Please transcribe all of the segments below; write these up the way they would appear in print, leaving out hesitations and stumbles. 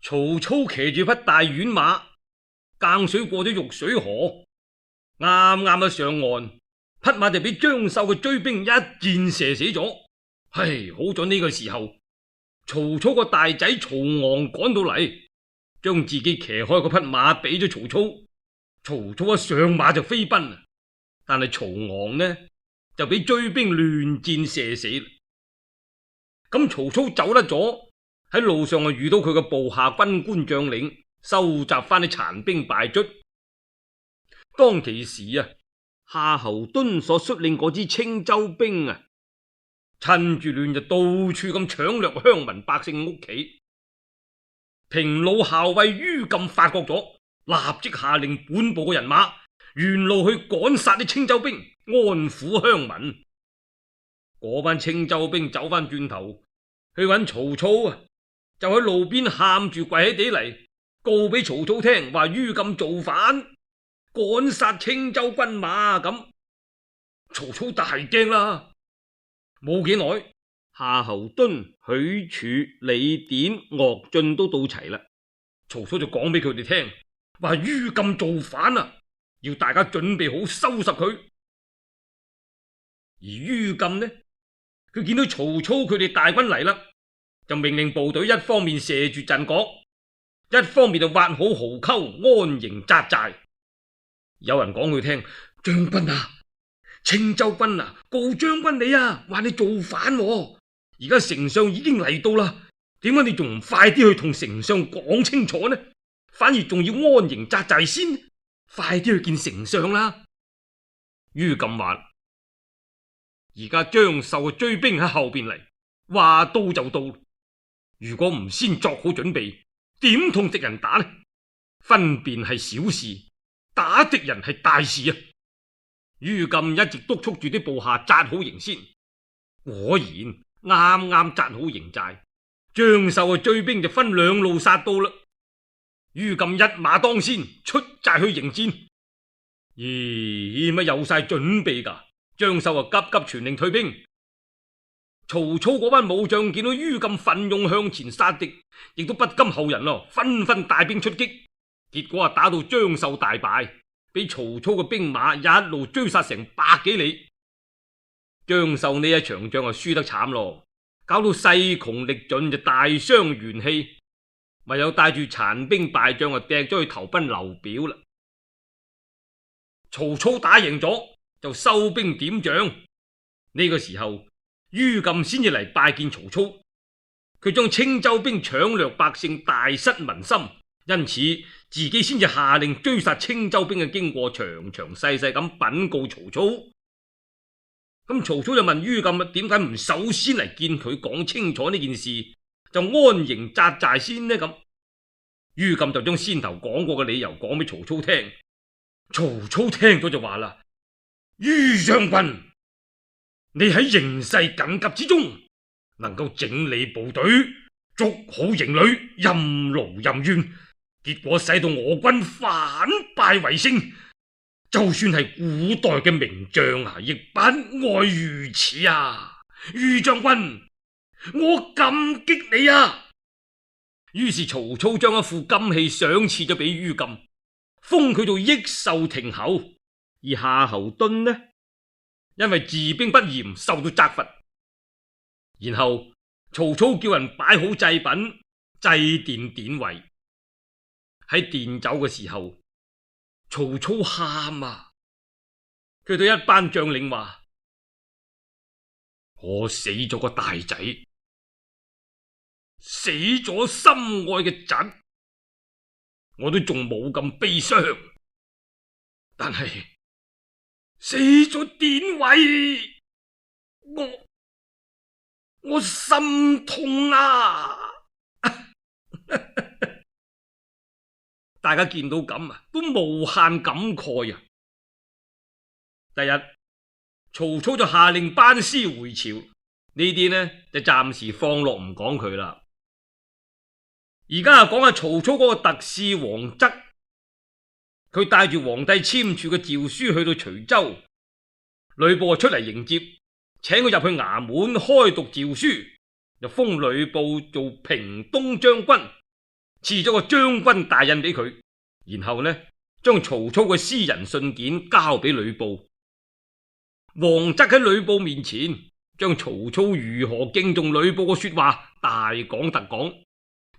曹操騎住匹大軟馬，更水過咗玉水河，啱啱上岸，匹馬就俾張繡嘅追兵一箭射死咗。唉，好在呢個時候，曹操個大仔曹昂趕到嚟，將自己騎開嗰匹馬俾咗曹操。曹操一上馬就飛奔，但係曹昂呢就俾追兵亂箭射死。咁曹操走甩咗，喺路上遇到佢嘅部下軍官將領，收集翻啲殘兵敗卒。當其時夏侯惇所率領嗰支青州兵趁住亂就到處咁搶掠鄉民百姓屋企。平魯校尉于禁發覺咗，立即下令本部嘅人馬沿路去趕殺啲青州兵，安撫鄉民。嗰班青州兵走翻轉頭去揾曹操就喺路邊喊住跪喺地嚟告俾曹操聽，話于禁造反，趕殺青州軍馬咁。曹操大驚啦，冇幾耐，夏侯惇、許褚、李典、岳進都到齊啦。曹操就講俾佢哋聽，話于禁造反要大家準備好收拾佢。而于禁呢，佢見到曹操佢哋大軍嚟啦，就命令部隊一方面射住陣角，一方面就挖好壕溝安營紮寨。有人講佢聽，將軍青州軍告將軍你話你造反而家丞相已經嚟到啦，點解你仲唔快啲去同丞相講清楚呢？反而仲要安營紮寨先，快啲去見丞相啦。于禁話：而家張繡嘅追兵喺後邊嚟，話到就到，如果唔先作好準備，點同敵人打呢？分辨係小事，打敵人係大事于禁一直督促住啲部下紮好營先，果然啱啱紮好營寨，張繡嘅追兵就分兩路殺到啦。于禁一馬當先出寨去迎戰。咦，乜有晒準備噶？張繡急急傳令退兵。曹操嗰班武將見到于禁奮勇向前殺敵，亦都不甘後人紛紛帶兵出擊，結果打到張繡大敗，俾曹操嘅兵馬一路追殺成百幾里。張繡呢一場仗輸得慘咯，搞到勢窮力盡，就大傷元氣，唯有帶住殘兵敗將掟咗去投奔劉表啦。曹操打贏咗就收兵點將。呢個時候于禁先至嚟拜見曹操，佢將青州兵搶掠百姓大失民心，因此自己先至下令追殺青州兵嘅經過，詳詳細細咁稟告曹操。咁曹操就問于禁點解唔首先嚟見佢講清楚呢件事，就安營紮寨先呢？咁于禁就將先頭講過嘅理由講俾曹操聽。曹操聽咗就話啦：于將軍，你喺形勢緊急之中，能夠整理部隊，捉好營旅，任勞任怨，結果使到我軍反敗為勝，就算係古代嘅名將亦不外如此于將軍，我感激你於是曹操將一副金器賞賜咗俾于禁，封佢做益壽亭侯。而夏侯惇呢，因為治兵不嚴受到責罰。然後曹操叫人擺好祭品，祭奠典韋。喺奠酒嘅時候，曹操喊佢對一班將領話：我死咗個大仔，死咗心愛嘅侄，我都仲冇咁悲傷，但係死咗典韋，我心痛大家見到咁都無限感慨第日曹操就下令班師回朝，呢啲呢就暫時放落唔講佢啦。而家講下曹操嗰個特使王則，佢帶住皇帝簽署嘅詔書去到徐州，呂布出嚟迎接，請佢入去衙門開讀詔書，就封呂布做平東將軍，賜咗個將軍大印俾佢，然後呢，將曹操嘅私人信件交俾呂布。王則喺呂布面前將曹操如何敬重呂布嘅說話大講特講，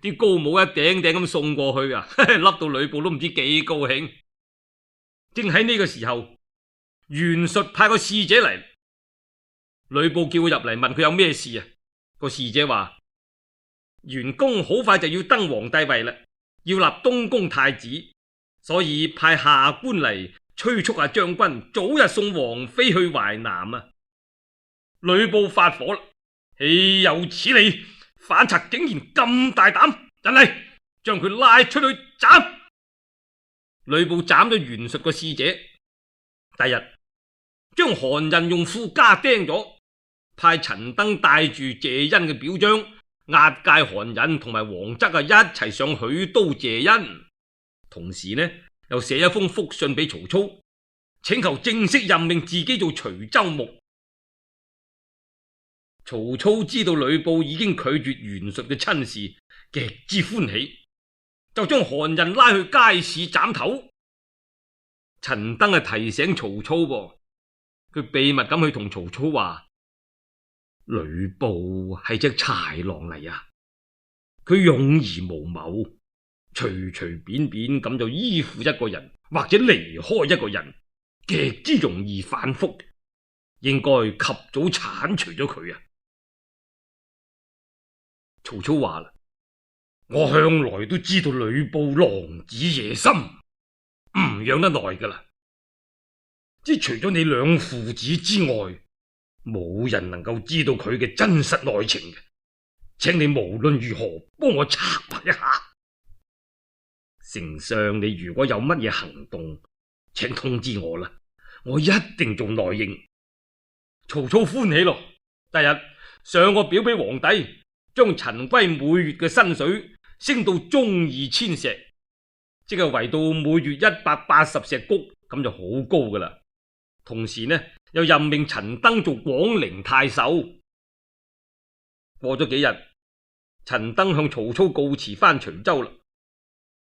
啲高帽一頂頂咁送過去啊，笠到呂布都唔知幾高興。正喺呢個時候，袁術派個使者嚟，呂布叫佢入嚟問佢有咩事啊。個使者話：袁公好快就要登皇帝位啦，要立東宮太子，所以派下官嚟催促下將軍早日送王妃去淮南啊！呂布發火啦，豈有此理！反賊竟然咁大膽，人嚟將佢拉出去斬！呂布斬咗袁術個使者，第日將韓人用褲加釘咗，派陳登帶住謝恩嘅表彰押解韓人同埋王則一齊上許都謝恩，同時呢又寫一封覆信俾曹操，請求正式任命自己做徐州牧。曹操知道呂布已經拒絕袁術嘅親事，極之歡喜，就將韓人拉去街市斬頭。陳登提醒曹操噃，佢秘密咁去同曹操話：呂布係隻豺狼嚟啊！佢勇而無謀，隨隨便便咁就依附一個人或者離開一個人，極之容易反覆，應該及早鏟除咗佢啊！曹操話啦：我向來都知道呂布狼子野心，唔養得耐噶啦，即除咗你兩父子之外，冇人能夠知道佢嘅真實內情嘅，請你無論如何幫我策劃一下。丞相，你如果有乜嘢行動，請通知我啦，我一定做內應。曹操歡喜咯，第日上個表俾皇帝，將陳規每月嘅薪水升到中2000石，即係圍到每月180石谷，咁就好高噶啦。同時呢，又任命陳登做廣陵太守。過咗幾日，陳登向曹操告辭翻徐州啦。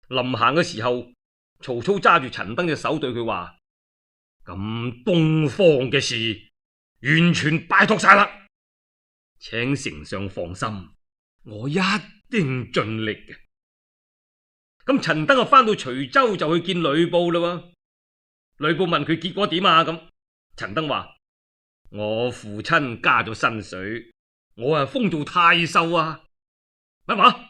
臨行嘅時候，曹操揸住陳登隻手對佢話：咁東方嘅事完全拜託晒啦，請丞相放心，我一定盡力嘅。咁陳登啊翻到徐州就去見呂布啦。呂布問佢結果點啊？咁陳登話：我父親加咗薪水，我啊封做太守啊。乜話？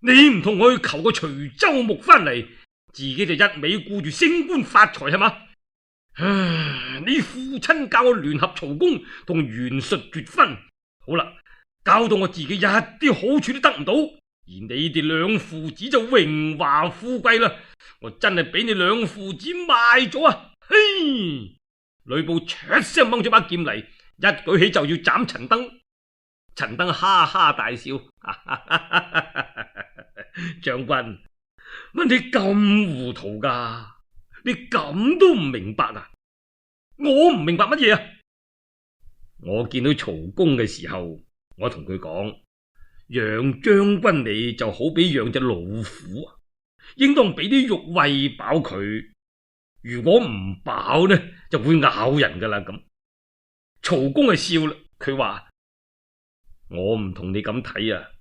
你唔同我去求個徐州牧翻嚟，自己就一味顧住升官發財係嘛？你父親教我聯合曹公同袁術決婚，好啦，搞到我自己一啲好處都得唔到，而你哋兩父子就榮華富貴啦。我真係俾你兩父子賣咗啊！嘿！呂布唰聲掹咗把劍嚟，一舉起就要斬陳登。陳登哈哈大笑，將軍，乜你咁糊塗噶？你咁都唔明白啊？我唔明白乜嘢啊？我見到曹公嘅時候，我同佢講，養將軍你就好比養隻老虎啊，應當俾啲肉餵飽佢，如果唔飽呢，就會咬人噶啦咁。曹公係笑啦，佢話：我唔同你咁睇啊，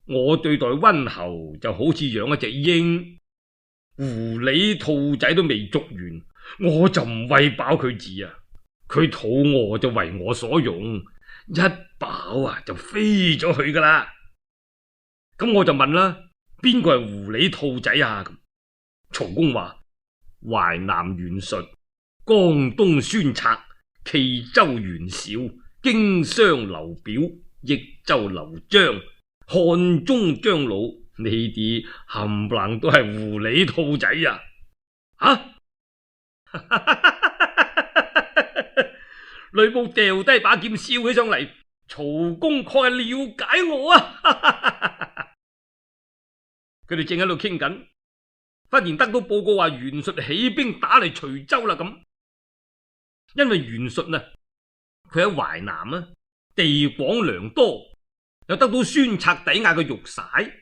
我對待溫侯就好似養一隻鷹，狐狸兔仔都未捉完，我就唔餵飽佢字啊，佢肚餓就為我所用，一飽啊就飛咗去噶啦。咁我就問啦，邊個係狐狸兔仔啊？曹公話：淮南袁術，江東孫策，冀州袁紹，荊襄劉表，益州劉璋，漢中張魯，呢啲冚唪唥都係狐狸兔仔啊！啊！呂布掉低把劍笑起上嚟，曹公確係了解我啊！佢哋正喺度傾緊，忽然得到報告話袁術起兵打嚟徐州啦咁。因為袁術啊，佢喺淮南啊，地廣糧多，又得到孫策抵押嘅玉璽，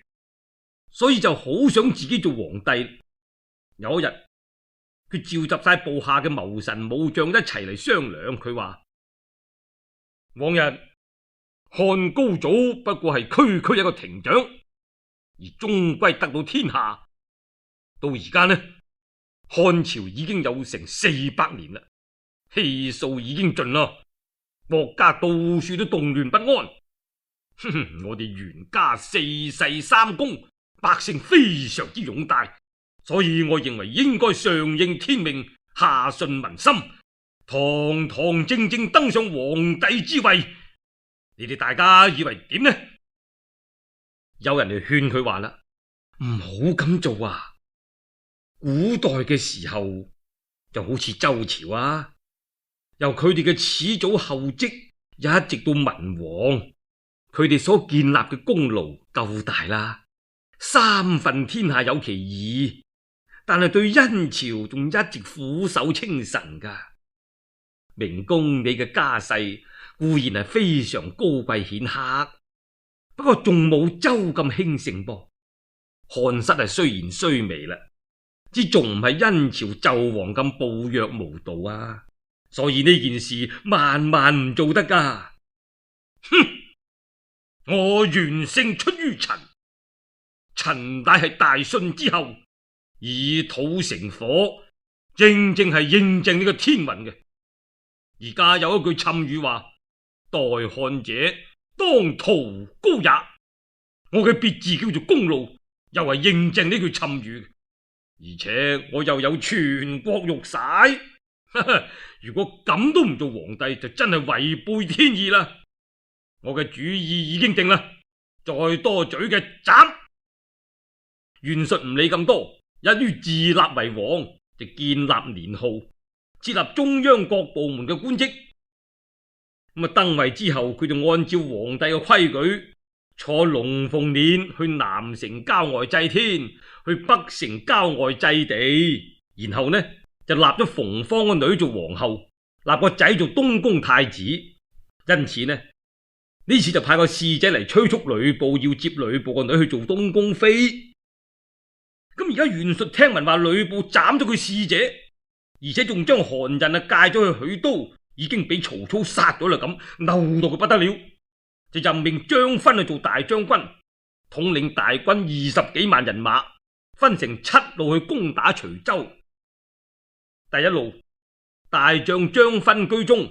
所以就好想自己做皇帝。有一日，佢召集晒部下嘅謀臣武將一齊嚟商量。佢話：往日漢高祖不過係區區一個亭長，而終歸得到天下。到而家呢，漢朝已經有成400年啦，氣數已經盡啦，國家到處都動亂不安。我哋袁家4世3公，百姓非常之擁戴，所以我認為應該上應天命，下順民心，堂堂正正登上皇帝之位。你哋大家以為點呢？有人嚟勸佢話啦：唔好咁做啊！古代嘅時候就好似周朝啊，由佢哋嘅始祖后稷一直到文王，佢哋所建立嘅功勞夠大啦，三分天下有其義，但係對殷朝仲一直俯首稱臣噶。明公你嘅家世固然係非常高貴顯赫，不過仲冇周咁興盛噃。漢室係雖然衰微啦，之仲唔係殷朝紂王咁暴虐無道啊，所以呢件事萬萬唔做得噶。哼！我袁姓出於陳，陳乃係大舜之後，以土成火，正正係印證呢個天運嘅。而家有一句讖語話：待漢者當屠高也。我嘅別字叫做公路，又係印證呢句讖語。而且我又有全國玉璽，如果咁都唔做皇帝，就真係違背天意啦。我嘅主意已經定啦，再多嘴嘅斬。袁術唔理咁多，一於自立為王，就建立年號，設立中央各部門嘅官職。登位之後，佢就按照皇帝嘅規矩，坐龍鳳輦去南城郊外祭天，去北城郊外祭地，然後呢就立咗馮芳嘅女做皇后，立個仔做東宮太子。因此呢次就派個使者嚟催促呂布，要接呂布個女去做東宮妃。咁而家袁術聽聞話呂布斬咗佢使者，而且仲將韓人介咗去許都，已經俾曹操殺咗啦，咁嬲到佢不得了，就任命張勳去做大將軍，統領大軍20幾萬人馬，分成7路去攻打徐州。第一路，大將張勳居中；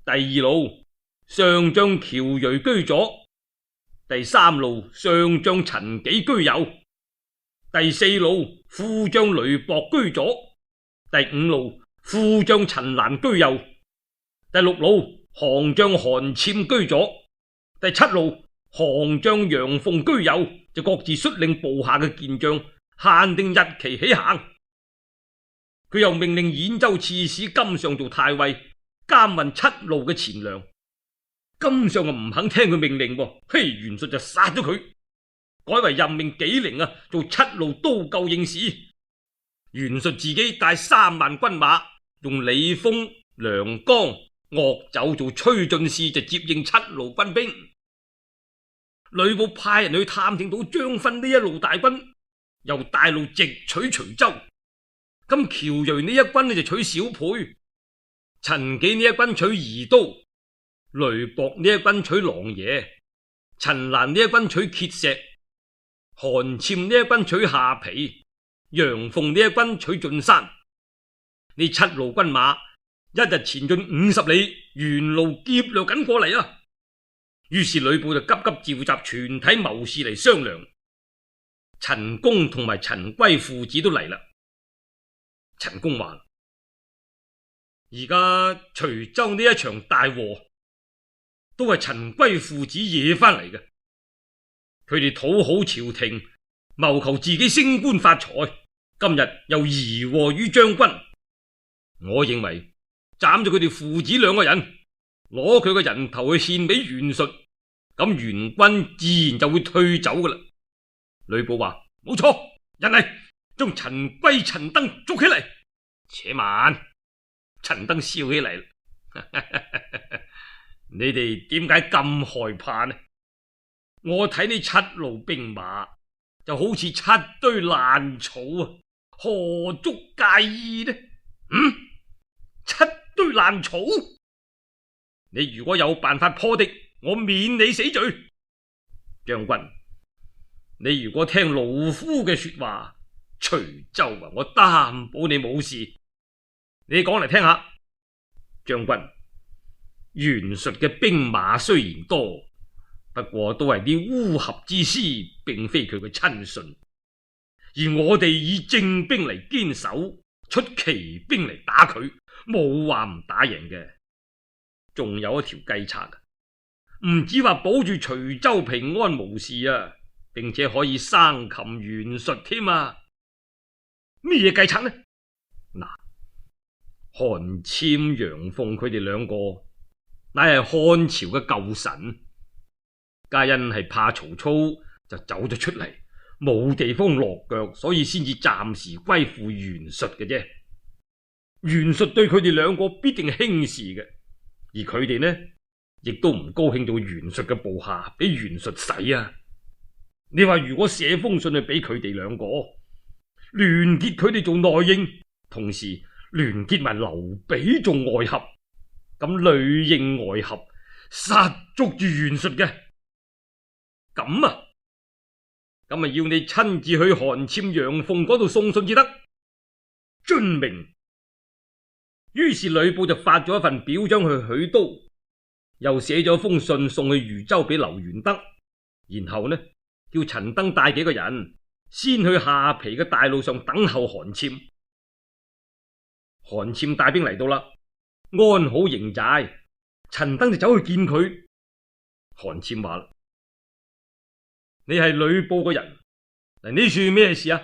第二路，上將喬睿居左；第三路，上將陳紀居右；第四路，副將雷博居左；第五路，副將陳蘭居右；第六路，行將韓纂居左；第七路，行將楊鳳居右，就各自率領部下嘅健將，限定日期起行。佢又命令兗州刺史金上做太尉，監運7路嘅錢糧。金上唔肯聽佢命令，袁術就殺咗佢，改為任命紀靈做7路都救應使。袁術自己帶3萬軍馬，用李豐、梁剛、岳酒做催進使，就接應7路軍兵。呂布派人去探聽到張勳呢一路大軍，由大路直取徐州。咁喬睿呢一軍就取小沛，陳紀呢一軍取宜都，雷博呢一軍取琅琊，陳蘭呢一軍取碣石，韓纂呢一軍取下邳，楊鳳呢一軍取晉山。呢7路軍馬一日前進50里，沿路劫掠緊過嚟啊！於是呂布就急急召集全體謀士嚟商量。陳宮同埋陳規父子都嚟啦。陳宮話：而家徐州呢一場大禍，都係陳規父子惹翻嚟嘅。佢哋討好朝廷，謀求自己升官發財，今日又貽禍於將軍。我認為斬咗佢哋父子2個人，攞佢個人頭去獻俾袁術，咁袁軍自然就會退走噶啦。呂布話：冇錯，人嚟，將陳規、陳登捉起嚟。且慢，陳登笑起嚟，你哋點解咁害怕呢？我睇呢7路兵馬就好似七堆爛草啊，何足介意呢？七堆爛草，你如果有辦法破敵，我免你死罪。將軍，你如果聽老夫嘅說話，徐州啊，我擔保你冇事。你講嚟聽下。將軍，袁術嘅兵馬雖然多，不過都係啲烏合之師，並非佢嘅親信。而我哋以正兵嚟堅守，出奇兵嚟打佢，冇話唔打贏嘅。仲有一條計策，唔止話保住徐州平安無事啊，並且可以生擒袁術添啊！咩計策呢？嗱，韓暹、楊鳳佢哋兩個乃係漢朝嘅舊臣，皆因係怕曹操就走咗出嚟，冇地方落腳，所以先至暫時歸附袁術嘅啫。袁術對佢哋兩個必定輕視嘅，而佢哋呢，亦都唔高興做袁術嘅部下，俾袁術使啊！你話如果寫封信去俾佢哋兩個，聯結佢哋做內應，同時聯結埋劉備做外合，咁裏應外合，殺捉住袁術嘅。咁啊要你親自去韓暹、楊鳳嗰度送信至得。遵命。於是呂布就發咗一份表彰去許都，又寫咗封信送去豫州俾劉元德，然後呢，叫陳登帶幾個人先去下邳嘅大路上等候韓暹。韓暹帶兵嚟到啦，安好營寨，陳登就走去見佢。韓暹話：你係呂布嘅人，嚟呢處咩事啊？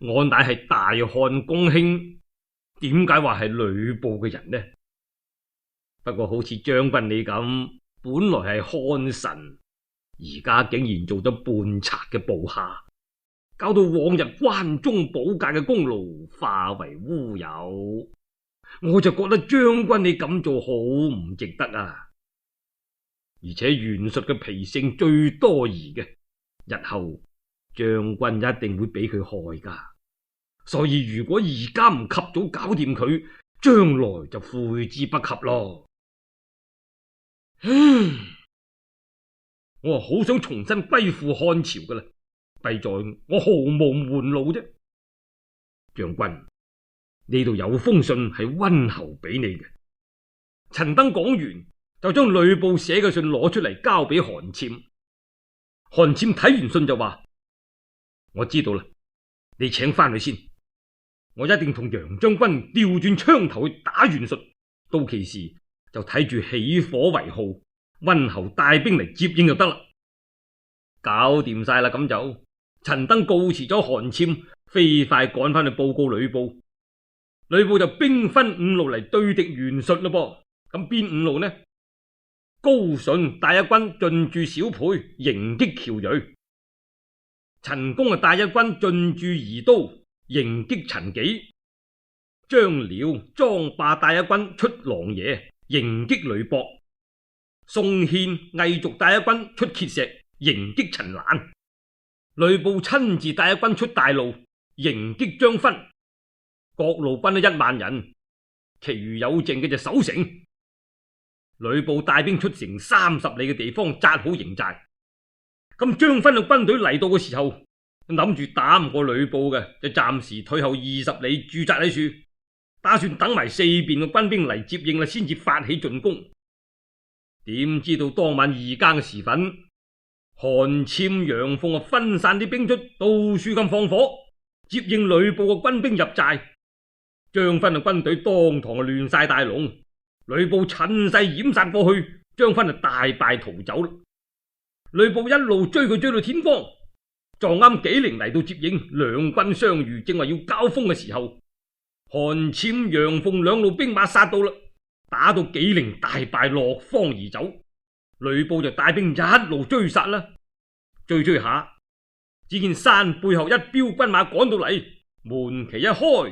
我乃係大漢公卿，點解話係呂布嘅人呢？不過好似將軍你咁，本來係漢臣，而家竟然做咗叛賊嘅部下，搞到往日關中保駕嘅功勞化為烏有，我就覺得將軍你咁做好唔值得啊！而且袁術嘅脾性最多疑嘅，日後將軍一定會俾佢害噶，所以如果而家唔及早搞掂佢，將來就悔之不及咯。我好想重新歸附漢朝噶啦，弊在我毫無門路啫。將軍，呢度有封信係溫侯俾你嘅。陳登講完，就將呂布寫嘅信攞出嚟交俾韓暹。韓暹睇完信就話：我知道啦，你請翻去先，我一定同楊將軍調轉槍頭去打袁術，到其時就睇住起火為號，溫侯帶兵嚟接應就得啦。搞掂晒啦，咁就陳登告辭咗韓暹，飛快趕翻去報告呂布。呂布就兵分五路嚟對敵袁術咯噃。咁邊五路呢？高順帶一軍進駐小沛，迎擊喬銳；陳宮帶一軍進駐宜都，迎擊陳紀；張遼、莊霸帶一軍出狼爺，迎擊呂博；宋憲、魏續帶一軍出碣石，迎擊陳蘭；呂布親自帶一軍出大路，迎擊張勳。各路軍都1萬人，其餘有剩嘅就守城。呂布帶兵出城30里嘅地方紮好營寨。咁張勳嘅軍隊嚟到嘅時候，諗住打唔過呂布嘅，就暫時退後20里駐紮喺處，打算等埋四邊嘅軍兵嚟接應啦，先至發起進攻。點知道當晚2更時分，韓暹、楊鳳分散啲兵出，到處咁放火，接應呂布嘅軍兵入寨。張勳嘅軍隊當堂亂晒大龍。呂布趁勢掩殺過去，張勳就大敗逃走啦。呂布一路追佢追到天光，撞啱紀靈嚟到接應，兩軍相遇，正話要交鋒嘅時候，韓暹、楊鳳兩路兵馬殺到啦，打到紀靈大敗，落荒而走。呂布就帶兵一路追殺啦，追下，只見山背後一彪軍馬趕到嚟，門旗一開，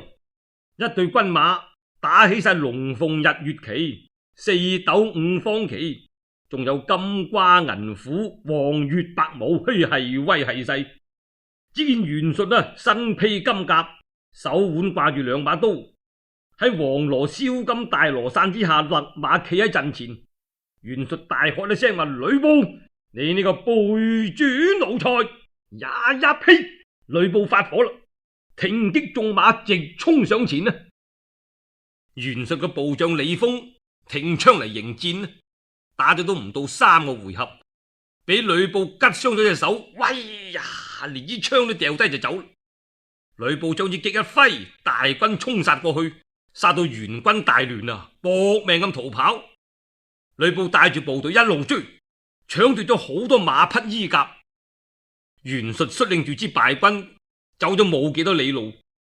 一隊軍馬打起晒龍鳳日月旗、4斗5方旗，仲有金瓜銀虎、黃月白毛，係威係勢。只見袁術身披金甲，手腕掛住兩把刀，喺黃羅燒金大羅傘之下，勒馬企喺陣前。袁術大喝一聲話：呂布，你呢個背主奴才！呀呀呸！呂布發火啦，挺擊縱馬直衝上前啊！袁術嘅部將李豐挺槍嚟迎戰，打咗都唔到3個回合，俾呂布拮傷咗隻手，喂呀，連支槍都掉低就走。呂布將支戟一揮，大軍衝殺過去，殺到袁軍大亂啊，搏命咁逃跑。呂布帶住部隊一路追，搶奪咗好多馬匹衣甲。袁術率領住支敗軍走咗冇幾多里路，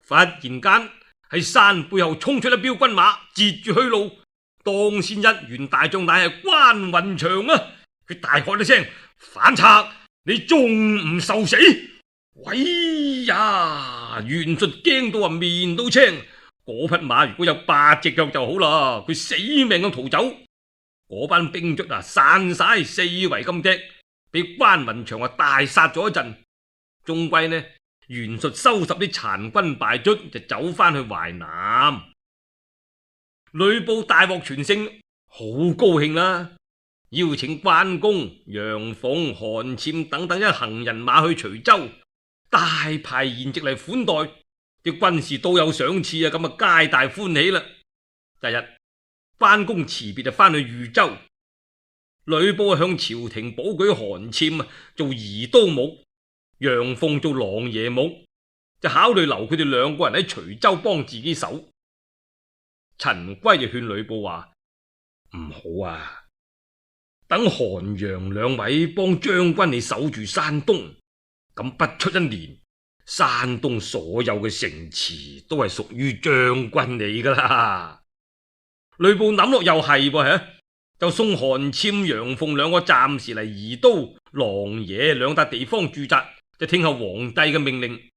忽然間喺山背後衝出一彪軍馬，截住去路。當先一員大將乃係關雲長啊！佢大喝一聲：反賊，你仲唔受死？喂呀！袁術驚到面都青，嗰匹馬如果有8隻腳就好啦，佢死命咁逃走。嗰班兵卒散晒四圍咁踢，俾關雲長大殺咗一陣。終歸呢，袁術收拾啲殘軍敗卒，就走翻去淮南。呂布大獲全勝，好高興啦，邀請關公、楊鳳、韓纂等等一行人馬去徐州，大排筵席嚟款待，啲軍士都有賞賜啊，咁皆大歡喜啦。第日關公辭別就翻去豫州，呂布向朝廷保舉韓纂做移都牧，楊鳳做琅琊牧，就考慮留佢哋2個人喺徐州幫自己守。陳規就勸呂布話：唔好啊，等韓楊2位幫將軍你守住山東，咁不出1年，山東所有嘅城池都係屬於將軍你噶啦。呂布諗落又係噃，就送韓纂、楊鳳2個暫時嚟宜都、琅琊2笪地方駐紮，就聽候皇帝嘅命令。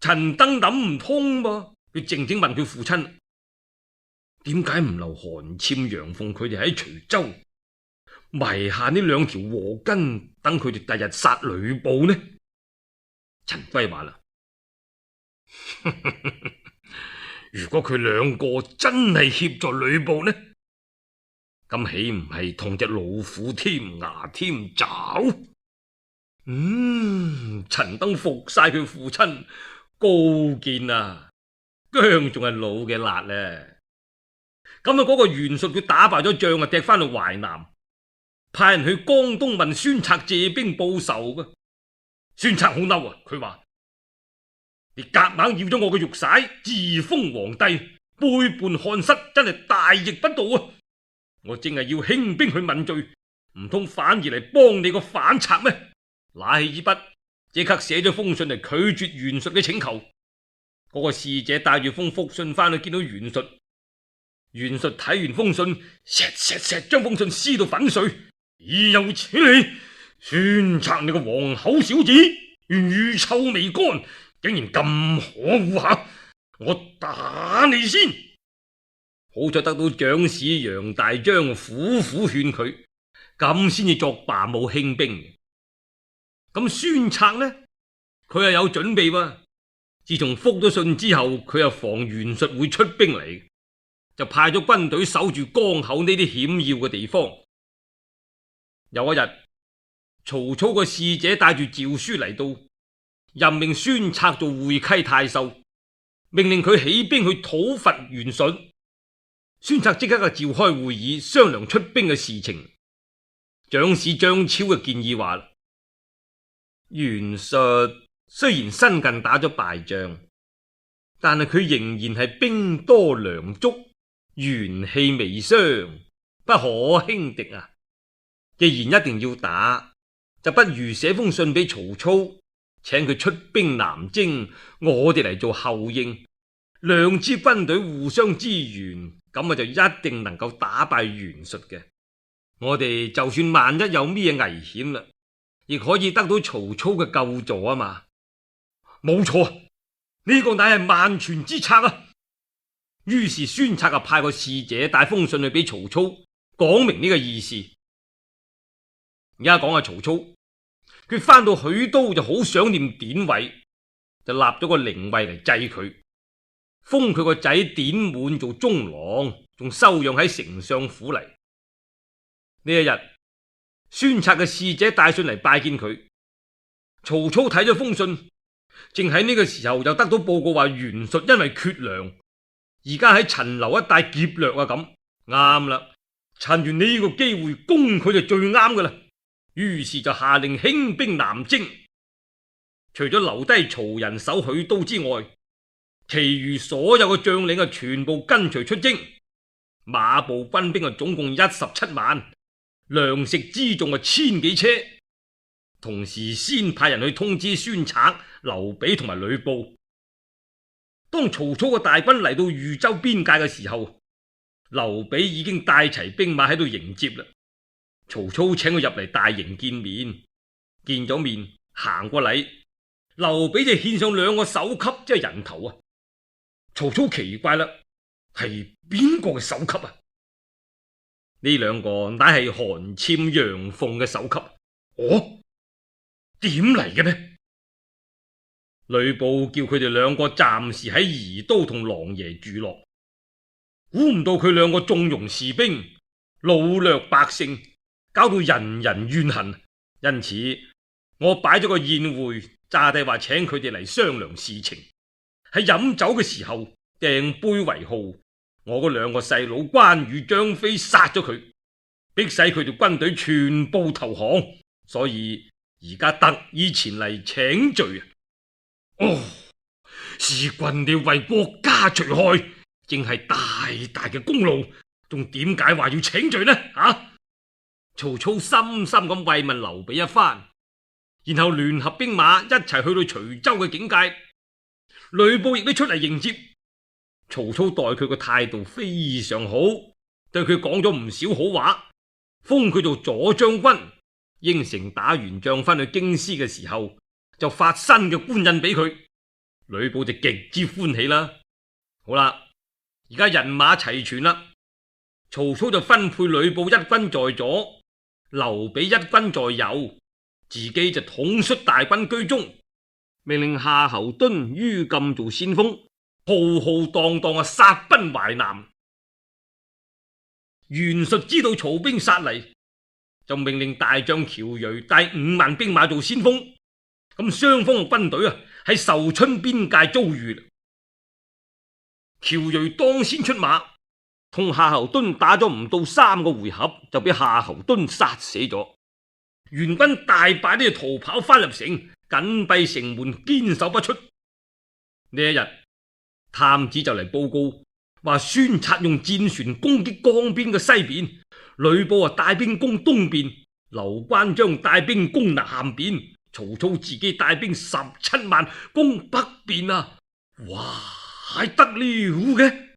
陳登諗唔通噃，佢靜靜問佢父親：點解唔留韓纂、楊鳳佢哋喺徐州，埋下呢2條禍根，等佢哋第日殺呂布呢？陳規話啦：如果佢2個真係協助呂布呢，咁豈唔係同隻老虎添牙添爪？陳登服晒佢父親，高見啊，薑仲係老嘅辣咧。咁嗰個袁術佢打敗咗仗踢翻去淮南，派人去江東問孫策借兵報仇嘅。孫策好嬲啊，佢話：你夾硬要咗我嘅玉璽，自封皇帝，背叛漢室，真係大逆不道啊！我正係要興兵去問罪，唔通反而嚟幫你個反賊咩？拿起支筆，即刻寫咗封信嚟拒絕袁術嘅請求。嗰個使者帶住封覆信翻去見到袁術，袁術睇完封信，錫將封信撕到粉碎。豈有此理！孫策你個黃口小子，乳臭未乾，竟然咁可惡下！我打你先！好在得到長史楊大章苦苦勸佢，咁先至作罷武興兵。咁孫策呢，佢又有準備喎。自從覆咗信之後，佢又防袁術會出兵嚟，就派咗軍隊守住江口呢啲險要嘅地方。有一日，曹操個使者帶住詔書嚟到，任命孫策做會稽太守，命令佢起兵去討伐袁術。孫策即刻召開會議，商量出兵嘅事情。長史張超嘅建議話：袁術雖然新近打咗敗仗，但係佢仍然係兵多糧足，元氣未傷，不可輕敵啊！既然一定要打，就不如寫封信俾曹操，請佢出兵南征，我哋嚟做後應，2支軍隊互相支援，咁就一定能夠打敗袁術嘅。我哋就算萬一有咩危險啦，亦可以得到曹操嘅救助啊嘛。冇錯，呢個乃係萬全之策啊！於是孫策派個使者帶封信去俾曹操，講明呢個意思。而家講下曹操，佢翻到許都就好想念典韋，就立咗個靈位嚟祭佢，封佢個仔典滿做中郎，仲收養喺丞相府嚟。呢一日，孫策嘅使者帶信嚟拜見佢，曹操睇咗封信，正喺呢個時候就得到報告話袁術因為缺糧，而家喺陳留一帶劫掠啊，咁啱啦，趁住呢個機會攻佢就最啱噶啦。於是就下令興兵南征，除咗留低曹仁守許都之外，其餘所有嘅將領全部跟隨出征，馬步軍兵總共17萬，糧食輜重1000幾車。同時先派人去通知孫策、劉備同埋呂布。當曹操嘅大軍嚟到豫州邊界嘅時候，劉備已經帶齊兵馬喺度迎接啦。曹操請佢入嚟大營見面，見咗面行過禮，劉備就獻上2個首級，即係人頭啊！曹操奇怪啦，係邊個嘅首級啊？呢2個乃係韓暹、楊鳳嘅首級。哦，點嚟嘅呢？呂布叫佢哋2個暫時喺宜都同狼爺住落，估唔到佢2個縱容士兵，擄掠百姓，搞到人人怨恨，因此我擺咗個宴會，詐帝話請佢哋嚟商量事情。喺飲酒嘅時候掟杯為號，我嗰2個細佬關羽、張飛殺咗佢，逼使佢哋軍隊全部投降，所以而家特意前嚟請罪啊！哦，是君你為國家除害，正係大大嘅功勞，仲點解話要請罪呢？曹操深深咁慰問劉備一番，然後聯合兵馬一齊去到徐州嘅境界。呂布亦都出嚟迎接。曹操待佢個態度非常好，對佢講咗唔少好話，封佢做左將軍，應承打完仗翻去京師嘅時候就發新嘅官印俾佢。呂布就極之歡喜啦。好啦，而家人馬齊全啦，曹操就分配呂布1軍在左，劉備1軍在右，自己就統率大軍居中，命令夏侯惇、于禁做先鋒，浩浩蕩蕩殺奔淮南。袁術知道曹兵殺嚟，就命令大將喬睿帶5萬兵馬做先鋒。咁雙方嘅軍隊喺壽春邊界遭遇。喬睿當先出馬，同夏侯惇打咗唔到3個回合，就俾夏侯惇殺死咗。袁軍大敗都要逃跑翻入城，緊閉城門，堅守不出。呢一日，探子就嚟報告話孫策用戰船攻擊江邊嘅西邊，呂布帶兵攻東邊，劉關張帶兵攻南邊，曹操自己帶兵17萬攻北邊啊！哇，係得了嘅！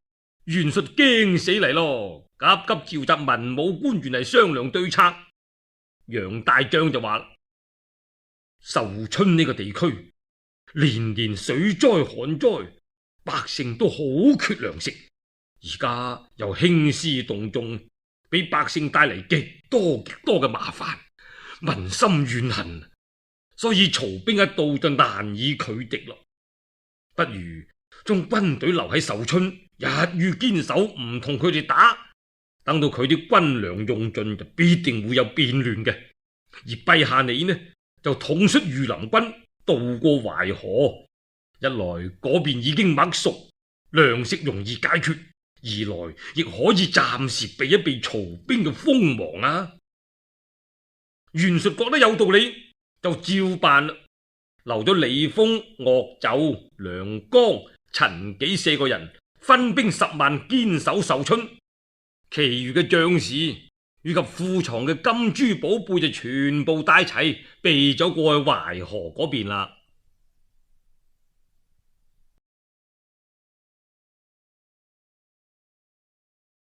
袁術驚死嚟咯，急急召集文武官員嚟商量對策。楊大將就話：壽春呢個地區年年水災旱災，百姓都好缺糧食，而家又興師動眾，俾百姓帶嚟極多嘅麻煩，民心怨恨，所以曹兵一到就難以拒敵咯。不如將軍隊留喺壽春，日予堅守，唔同佢哋打，等到佢啲軍糧用盡，就必定會有變亂嘅。而陛下你呢，就統率御林軍渡過淮河，一來嗰邊已經麥熟，糧食容易解決；二來亦可以暫時避一避曹兵嘅鋒芒啊！袁術覺得有道理，就照辦啦，留咗李豐、岳就、梁剛、陳紀4個人，分兵10萬堅守壽春，其餘嘅將士以及庫藏嘅金珠寶貝就全部帶齊，避咗過去淮河嗰邊啦。